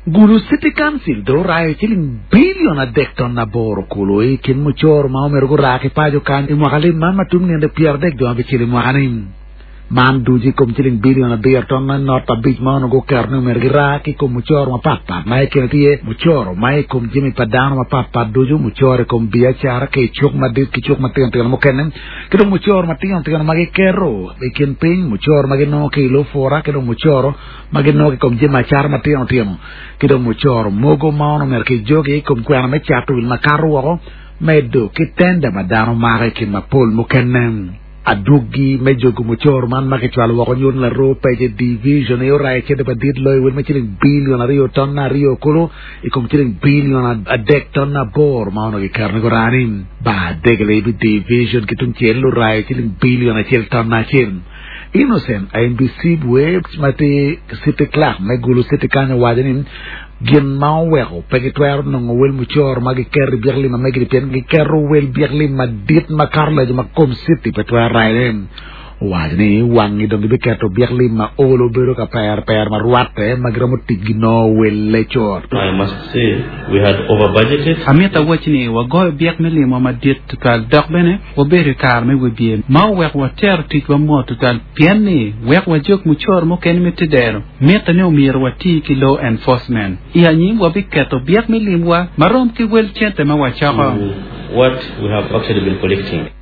Gulu City Council dong orayo ciling bilion adek ton aboro kulu i kin mucoro ma omyero gura ki paco kany i mwaka lim man ma tum nino 30 dwe abicel i mwaka-ni. Man ducu i kom ciling bilion abiro ton not abic ma onongo guketo ni omyero gira ki i kom mucoro mapat pat ma i kine tye iye mucoro ma i kom jami pa dano mapat pat ducu, mucoro i kom biacara ki i cuk madit ki cuk matino tino mukene, ki dong mucoro matino tino ma giketo i kin piny, mucoro ma ginongo ki i lupura ki dong mucoro ma ginongo ki i kom jami acata matino tino, ki dong mucoro mogo ma onongo myero kijogi i kom kwena me cato wil makato woko, medo ki tenda ma dano mako i kin mapol mukene. Adwogi me jogo mucoro man ma kicwalo woko nyuto ni laroo pece Division aye orayo cente madit loyo wel ma ciling bilion aryo tonna aryo kulu i kom ciling bilion adek tonna aboro ma onongo kiketo ni gurani. Bar Degelebi Division ki tungcel orayo ciling bilion acel tonna acel. Innocent Aimbisibwe ma tye City Clerk me Gulu City kany owaco ni gin ma oweko pe gitwero nongo wel mucoro ma giketo i byek lim ma megi-ni pien giketo wel byek lim madit makato leco ma kom city pe twero rayone. Owaco ni wangi dong gibiketo byek lim ma olo bedo ka pero pero ma rwatte ma giromo tic ginongo welle cut. I must say we had over budgeted. Amito awac ni wagoyo byek me limwa madit tutwal dok bene Wabedo i kare me wibye ma oweko watero ticwa mot tutwal pien ni wek wajog mucoro mukene me tedero, mitte ni omyero wati ki law enforcement. I anyim wabiketo byek me limwa ma rom ki wel cente ma wacoko. to what we have actually been collecting.